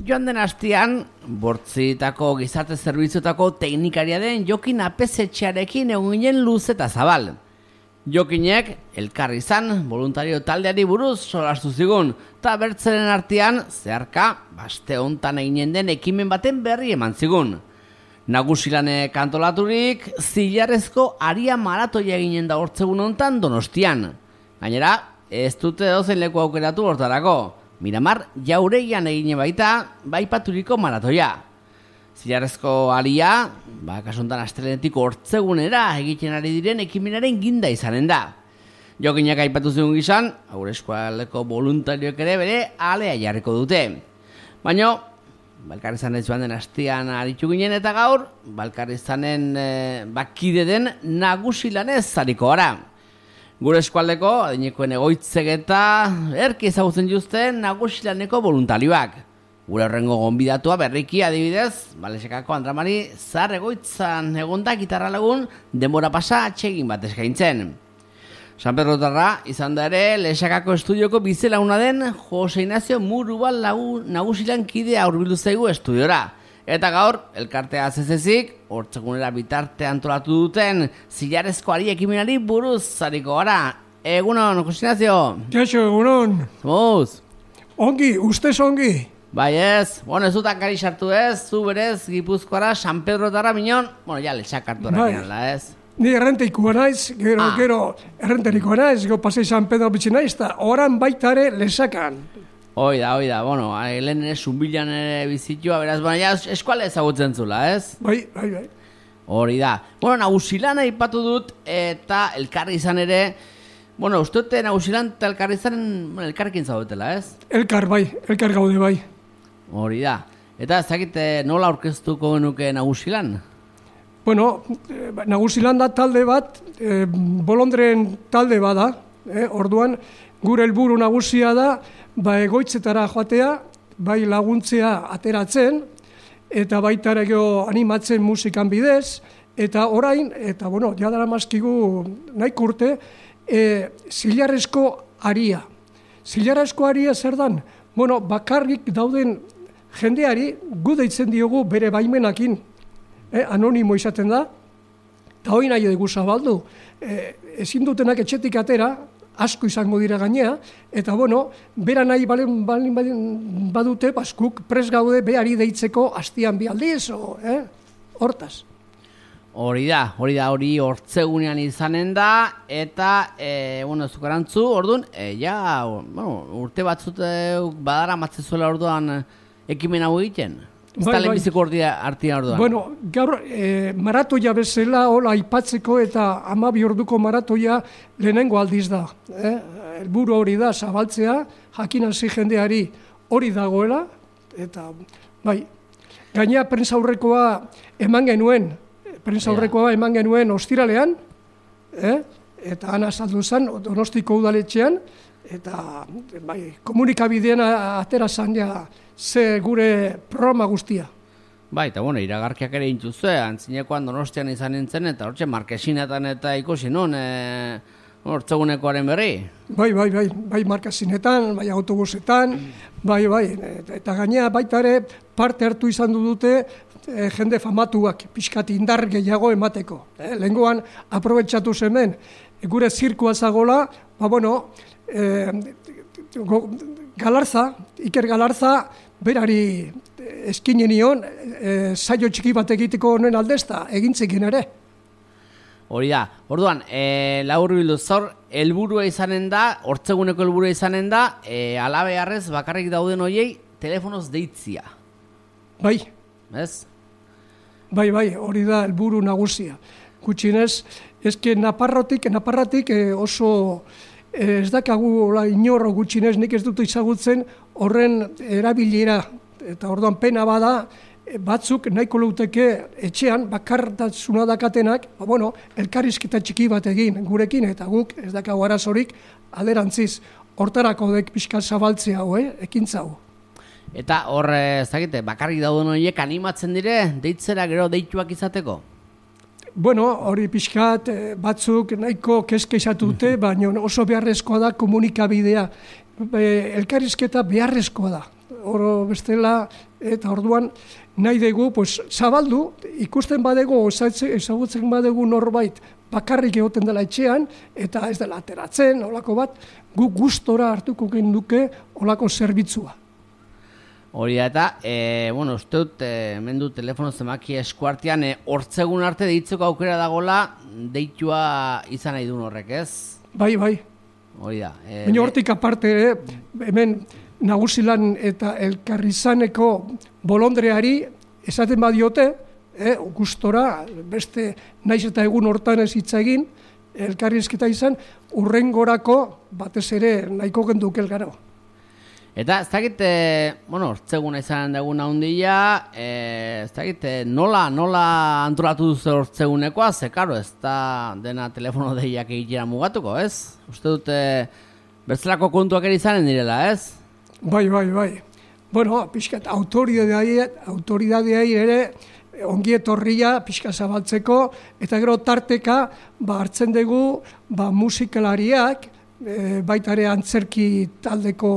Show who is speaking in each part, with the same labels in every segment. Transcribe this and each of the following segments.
Speaker 1: Joan den astean, Bortzitako gizarte zerbitzuetako teknikaria den Jokin Apesetxearekin egon ginen luz eta zabal. Jokinek elkarri izan voluntario taldeari buruz solastu zigun, eta bertzeren artean zeharka baste hontan eginen den ekimen baten berri eman zigun. Nagusilanek antolaturik, zilarrezko aria maratoia eginen da hortzegun hontan Donostian. Gainera, ez dute dozen leku aukeratu hortarako. Miramar Jauregian egine baita, baipaturiko maratoia. Zilarrezko aria, kasuntan astelenetik hortzegunera egiten ari diren ekimenaren ginda izanen da. Jokinak aipatu zigun gizan, haur eskualeko voluntarioek ere bere alea jarriko dute. Baina, Balkarrizanen joan den astean aritu ginen eta gaur, Balkarrizanen bakide den nagusilanez zariko gara. Gure eskualdeko, adinekoen egoitzek eta erki ezagutzen juzten nagusilaneko voluntarioak. Gure horrengo gonbidatua berriki adibidez, Balexekako Andramari zar egoitzan egonda gitarra lagun denbora pasa atsegin bat eskaintzen. San Pedrotarra izan da ere Lexekako estudioko bizelauna den Jose Ignacio Murubal nagusilan kidea hurbildu zaigu estudiora. Eta gaur, elkartea zezezik, hortzegunera bitarte antolatu duten zilarrezko ari ekimenari buruz zariko gara. Egunon, Jose Ignacio?
Speaker 2: Kaixo, egunon.
Speaker 1: Zomuz?
Speaker 2: Ongi, ustez ongi.
Speaker 1: Bai ez, ez dutak gari sartu ez, zu berez, Gipuzkoara, San Pedrotarra minon, ja lexak hartu errakinala ez.
Speaker 2: Ni errenteikoa naiz, gero errenterikoa naiz, gero pasei San Pedro bitxi naiz, eta oran baitare lesakan.
Speaker 1: Oida, lehen ere zumbilan ere bizitua, beraz, ja eskuale ezagutzen zula, ez?
Speaker 2: Bai.
Speaker 1: Hori da. Nagusilana ipatu dut, eta elkarri izan ere, uste dute nagusilan eta elkarri izan elkarrekin zaudetela, ez?
Speaker 2: Elkar gaude bai.
Speaker 1: Hori da. Eta ezakite nola aurkeztuko genuke nagusilan?
Speaker 2: Nagusilan da talde bat, bolondren talde bada, orduan gure helburu nagusia da, egoitzetara joatea, bai laguntzea ateratzen, eta baita ere animatzen musikan bidez, eta orain, jadara mazkigu nahiko urte, zilarrezko aria. Zilarrezko aria zer dan? Bakarrik dauden jendeari gu deitzen diogu bere baimenakin, anonimo izaten da, eta hori nahi dugu zabaldu. Ezin dutenak etxetik atera, asko izango dira gainea, eta bera nahi badute, baskuk pres gaude behari deitzeko astian bi aldiz, hortaz.
Speaker 1: Hori hortzegunean izanen da, eta, zukarantzu, orduan, urte batzut badara matzezuela orduan ekimen hau egiten? Ez da lehenbiziko artian orduan?
Speaker 2: Gaur, maratoia bezala, hola, aipatzeko eta 12 orduko maratoia lehenengo aldiz da. Helburu hori da, zabaltzea, jakin hasi jendeari hori dagoela, eta, gainea prentsaurrekoa eman genuen ostiralean, eta han azaldu zen, Donostiko udaletxean, eta komunikabidean atera zan ze gure programa guztia.
Speaker 1: Eta iragarkiak ere intuzue, antzinekoan Donostian izan nintzen, eta hortxe markesinetan eta ikusi nun, hortzegunekoaren berri. Bai markesinetan, bai autobusetan, eta gainea baita ere parte hartu izan dute jende famatuak, pixkat indar gehiago emateko. Lehengoan aprobetxatu zemen, gure zirkua zagola, Iker Galarza, berari eskinen nion, saio txiki bat egiteko honen aldezta, egintzekin ere. Hori da, orduan, labur bildu zor, helburua izanen da, hortzeguneko helburua izanen da, alabearrez bakarrik dauden horiei, telefonoz deitzia.
Speaker 2: Bai.
Speaker 1: Ez?
Speaker 2: Bai, hori da helburu nagusia. Gutxinez, ezke naparratik oso... Ez dakagu inorro gutxinez, nik ez dut izagutzen horren erabilera. Eta orduan pena bada, batzuk nahiko luteke etxean, bakartasuna dakatenak, elkarrizketa txiki bat egin gurekin, eta guk ez dakagu arazorik alderantziz. Hortarako dek pixka zabaltzea hau, ekintza hau.
Speaker 1: Eta hor, ez dakite, bakarrik dauden horiek animatzen dire, deitzera gero deituak izateko?
Speaker 2: Hori pixkat batzuk nahiko kezkeizatu dute, baina oso beharrezkoa da komunikabidea. Elkarrizketa beharrezkoa da. oro bestela, eta orduan nahi dugu, pues, zabaldu, ikusten badego, ezagutzen badegu norbait, bakarrik egoten dela etxean, eta ez dela ateratzen, olako bat, gu gustora hartuko genduke olako zerbitzua.
Speaker 1: Hori da eta, uste dut, hemen du telefono zemaki eskuartean, hortzegun arte deitzeko aukera dagola, deitua izan nahi duen horrek, ez?
Speaker 2: Bai.
Speaker 1: Hori da.
Speaker 2: Baina hortik aparte, hemen Nagusilan eta Elkarrizaneko bolondreari esaten badiote, gustora, beste naiz eta egun hortan ez hitz egin, elkarrizketa izan, urrengorako batez ere nahiko genduke elgaro.
Speaker 1: Eta ez dakit, hortzeguna izan deguna handia, ez dakit, nola antolatu duzu hortzegunekoa, ze karo, ez da dena telefono deiak egitera mugatuko, ez? Uste dute bertzelako kontuak ere izanen direla, ez?
Speaker 2: Bai. Bueno, pixkat, autoridadei ere ongi etorria pixka zabaltzeko, eta gero tarteka hartzen dugu musikalariak, baita ere antzerki taldeko,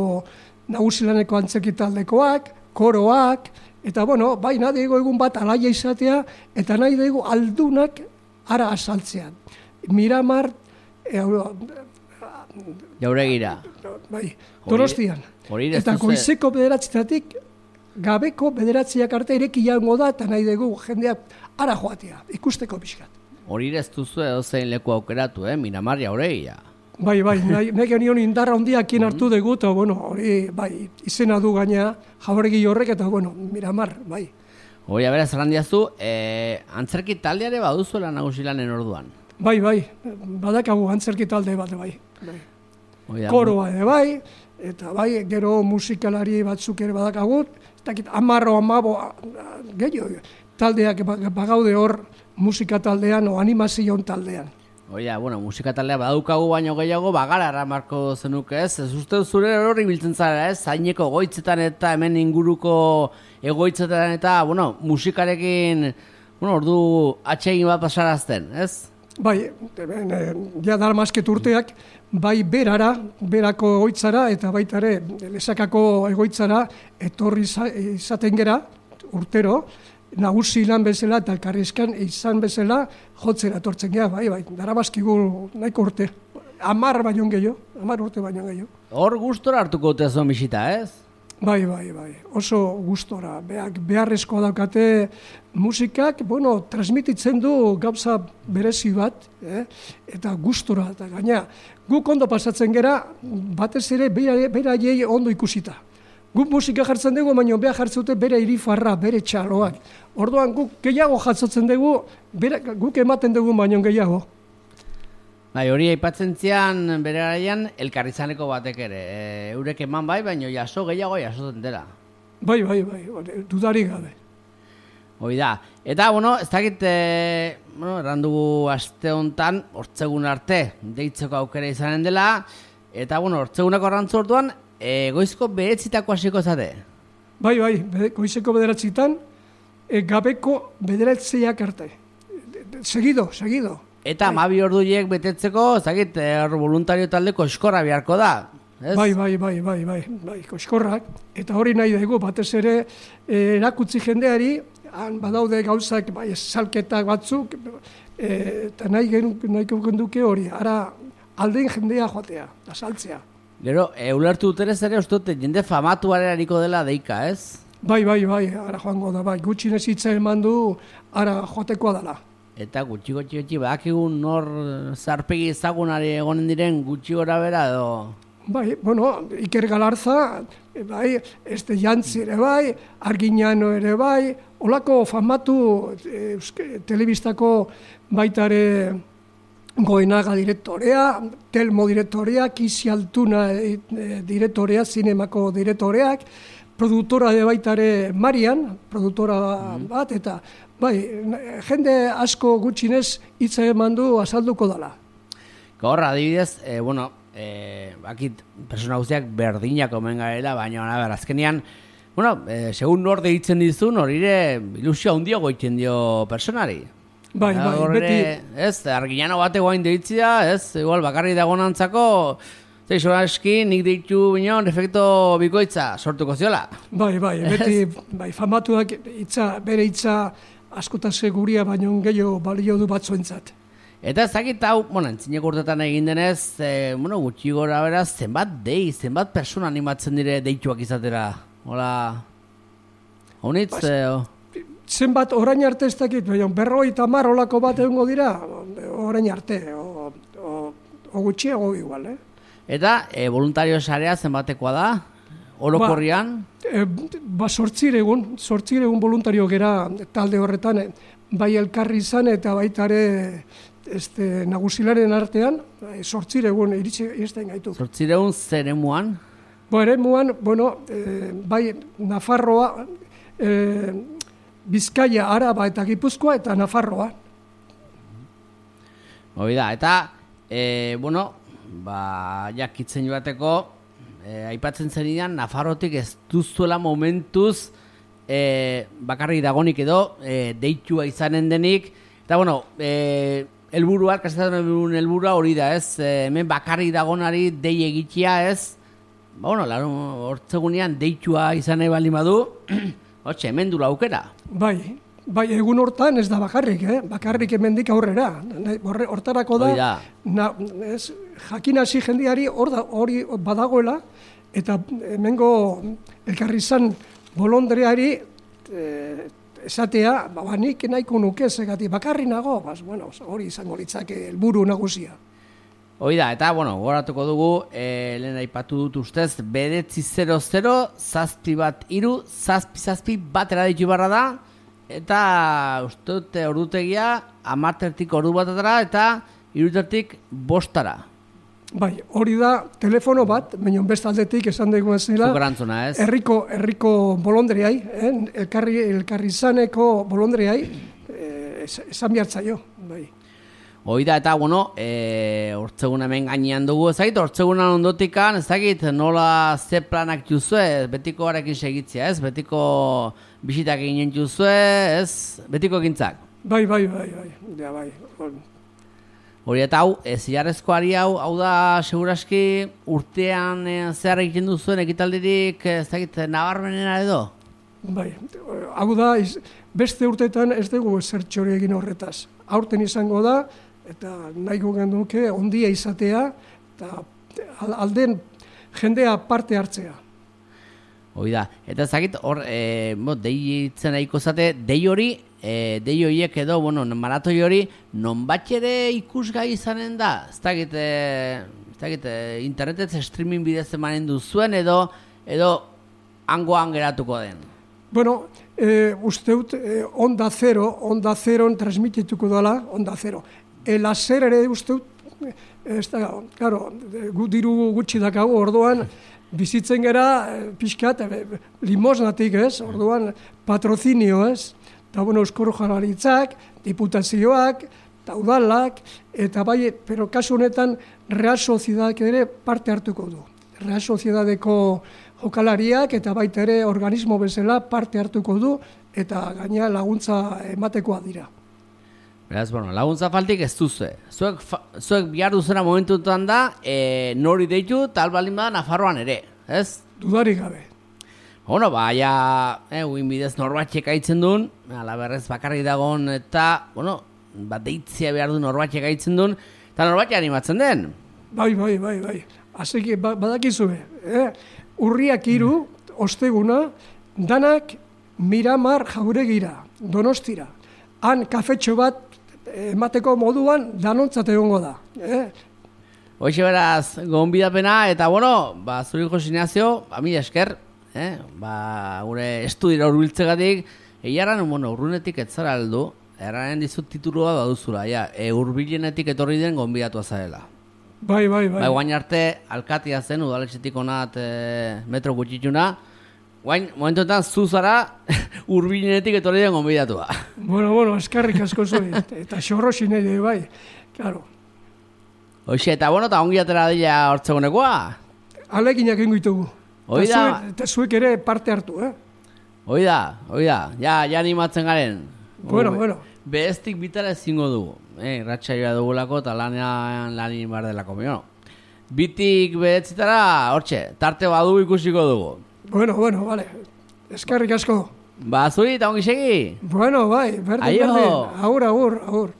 Speaker 2: Nagusilaneko antzerki taldekoak, koroak, eta bai nahi dugu egun bat alaia izatea, eta nahi dugu aldunak ara asaltzean. Miramar,
Speaker 1: Jauregira.
Speaker 2: Bai, Donostian. Eta goizeko bederatzitatik, gabeko bederatziak arte ireki jaungo da, eta nahi dugu jendeak ara joatea, ikusteko pixkat.
Speaker 1: Hori ez duzu edo zein leku aukeratu, Miramar Jauregira.
Speaker 2: Bai, nahi genion indarra hondiakin hartu dugu, eta hori, izena du gaina Jauregi horrek, eta Miramar, bai.
Speaker 1: Hori, beraz, errandiazu, antzerki taldeare baduzuela Nagusilanen orduan?
Speaker 2: Bai, badakagu antzerki talde bat, bai. Koroa ere bai, eta bai, gero musikalari batzuk ere badakagut, ez dakit, 10 gehiago, taldeak bagaude hor musika taldean o animazion taldean.
Speaker 1: Oia, musika taldea badaukagu baino gehiago, bagara eramarko zenuke ez uste zure hori biltzen zara ez, zaineko egoitzetan eta hemen inguruko egoitzetan eta, musikarekin, ordu atsegin bat pasarazten, ez? Bai,
Speaker 2: ja dalmasket urteak, bai berako egoitzara eta baita ere Lesakako egoitzara etorri izaten gera urtero, Nagusilan bezala eta Elkarrizkan izan bezala jotzera etortzen gea, bai, darabazkigu nahiko urte. 10 baino gehiago, 10 urte baino gehiago.
Speaker 1: Hor gustora hartuko tezuan bisita, ez?
Speaker 2: Bai, oso gustora. Beharrezkoa daukate musikak, transmititzen du gauza berezi bat, eta gustora. Eta gaina, guk ondo pasatzen gera, batez ere beraiei ondo ikusita. Guk musika jartzen dugu, baina behar jartzen dute bere irifarra, bere txaloak. Orduan guk gehiago jatzotzen dugu, guk ematen dugu baino gehiago.
Speaker 1: Bai, hori aipatzen zian bere garaian Elkarrizaneko batek ere. Eurek eman bai, baina jaso gehiago jasotzen dela.
Speaker 2: Bai, dudarik gabe.
Speaker 1: Hoi da. Eta, ez dakit, errandugu aste honetan, hortzegun arte, deitzeko aukera izanen dela, eta, hortzegunako arrantzu orduan, goizko bederatzitako hasiko zate?
Speaker 2: Bai, goizeko bederatzitan, gabeko bederatziak arte. Segido.
Speaker 1: Eta 12 orduiek betetzeko, zakit, voluntario taldeko eskorra beharko da. Ez? Bai, koskorrak. Eta hori nahi dugu, batez ere, erakutzi jendeari, han badaude gauzak, salketak batzuk, eta nahiko genduke hori, ara alden jendea joatea, saltzea. Gero, ulertu dutenez ere, uste dute, jende famatuaren hariko dela deika, ez?
Speaker 2: Bai, ara joango da, bai, gutxinez hitza eman du, ara joatekoa dela.
Speaker 1: Eta gutxi, badakigu nor zarpegi ezagunari egonen diren gutxi gora bera edo...
Speaker 2: Bai, Iker Galarza, bai, Jantzi ere bai, Arginano ere bai, olako famatu telebistako baitare Goenaga direktorea, Telmo direktorea, Kisi Altuna direktorea, zinemako direktoreak, produktora de baitare Marian, produktora bat, eta bai, jende asko gutxinez hitza eman du azalduko dela.
Speaker 1: Gaur, adibidez, bakit persona guztiak berdinak omen garela, baina azkenean, segun nor deitzen dizun, horire ilusio handio goiten dio personari.
Speaker 2: Bai,
Speaker 1: beti. Ez, Arginano bate guain deitzia, ez, igual bakarri dagonantzako, Zeixo aski, nik deitu bineon efekto bikoitza sortuko ziola.
Speaker 2: Bai, beti famatuak bere hitza askotaz guria baino gehiago balio du batzuentzat.
Speaker 1: Eta ezagit hau, antzineko urtetan egin denez, gutxi gora beraz, zenbat persona animatzen dire deituak izatera? Hola, honitz?
Speaker 2: Zenbat orain arte ez dakit, baina 50 olako bat egongo dira, orain arte, o gutxiago igual,
Speaker 1: Eta, voluntario sarea zenbatekoa da? Orokorrian?
Speaker 2: 8 voluntario gera talde horretan, bai elkarri izan eta baitare nagusilaren artean, 8 iritsi izten gaitu.
Speaker 1: 8 zer emuan?
Speaker 2: Eremuan, bai Nafarroa, Bizkaia, Araba eta Gipuzkoa eta Nafarroa.
Speaker 1: Eta, jakitzen joateko, aipatzen zenidan, Nafarrotik ez duzuela momentuz bakarrik dagonik edo deitua izanen denik. Eta, helburua, kasetaren helburua hori da, ez? Hemen bakarrik dagonari dei egitea, ez? Hortzegunean deitua izan nahi baldin badu, hemen du aukera.
Speaker 2: Bai, egun hortan ez da bakarrik, bakarrik hemendik aurrera. Hortarako da, jakin hasi jendeari hori badagoela, eta hemengo elkarri izan bolondreari esatea, nik nahiko nuke zegati bakarri nago, hori izango litzake helburu nagusia.
Speaker 1: Eta, goratuko dugu, lehen aipatu dut ustez, 900-713-7 batera ditu barra da, eta uste dute ordutegia 10 ordu batetara eta 3 bostara.
Speaker 2: Bai, hori da telefono bat, baina beste aldetik esan dugu zela.
Speaker 1: Zukorantzuna, ez?
Speaker 2: Herriko bolondreai, elkarri izaneko bolondreai, esan bihartzaio, bai.
Speaker 1: Eta, hortzegun hemen gainean dugu, ezagit, hortzegunan ondotikan, ezagit, nola ze planak juzue, betiko harekin segitzea, ez? Betiko bisitak eginen juzue, ez? Betiko egintzak.
Speaker 2: Bai.
Speaker 1: Hori eta hau, zilarrezkoari hau da, seguraski, urtean zehar egiten duzuen ekitaldirik, ezagit, nabarmenena edo?
Speaker 2: Bai, hau da, beste urteetan ez dugu zertxori egin horretaz. Aurten izango da, eta nahiko genduke ondia izatea, eta alden jendea parte hartzea.
Speaker 1: Hoi da, eta ezagit, hor, deitzen nahiko zate, dei horiek edo, maratoi hori, nonbat ere ikusgai izanen da? Ez dakit, internetez streaming bidez emanen duzuen edo hangoan geratuko den?
Speaker 2: Usteut, Onda Zeron transmitituko dela, Onda Zero. Lazer ere usteut, gu diru gutxi dakago, orduan, bizitzen gera, pixkat, limosnatik, ez? Orduan, patrozinio, ez? Eta, Eusko Jaurlaritzak, diputazioak, eta udalak, eta bai, pero kasu honetan, Real Sociedadak ere parte hartuko du. Real Sociedadeko jokalariak eta baita ere organismo bezala parte hartuko du, eta gaina laguntza ematekoa dira.
Speaker 1: Beraz, laguntza faltik ez duzu. Zuek bihar duzena momentuetan da, nori deitu, tal baldin bada Nafarroan ere, ez?
Speaker 2: Dudarik gabe.
Speaker 1: Uin bidez norbatxek aitzen duen, alaberrez bakarrik dagoen, eta, deitzea behar du norbatxek aitzen duen, eta norbatxek animatzen den.
Speaker 2: Bai. Azeki, badakizue, Urriak 3, osteguna, danak Miramar Jauregira, Donostira. Han kafetxo bat emateko moduan danontzat egongo da.
Speaker 1: Hoxe beraz, gonbidapena, eta zuri Jose Ignacio, mila esker, gure estudira urbiltzegatik, egiaran, urrunetik etzara aldu, erraren dizut titulua da duzula, urbilenetik etorri den gonbidatua zarela.
Speaker 2: Bai.
Speaker 1: Guain arte, alkatia zen, udaletxetik onat metro gutxituna, guain, momentuetan zuzara, urbilenetik etorri den gonbidatua.
Speaker 2: Eskarrik asko zuen, eta xorrosin ere, bai, klaro.
Speaker 1: Hoxe, eta eta ongi atera dira hortzegunekoa?
Speaker 2: Aleginak ingoitugu. Eta zuek ere parte hartu,
Speaker 1: Hoi da, ja animatzen garen.
Speaker 2: Bueno.
Speaker 1: Beheztik bitara ezingo dugu. Ratxaioa dugulako eta lanin bar delako. bitik beretzitara, hortxe, tarte badu ikusiko dugu.
Speaker 2: Bueno, vale. Eskerrik asko.
Speaker 1: Ba, zuri eta ongi segi.
Speaker 2: Bueno, bai, berdin. Agur.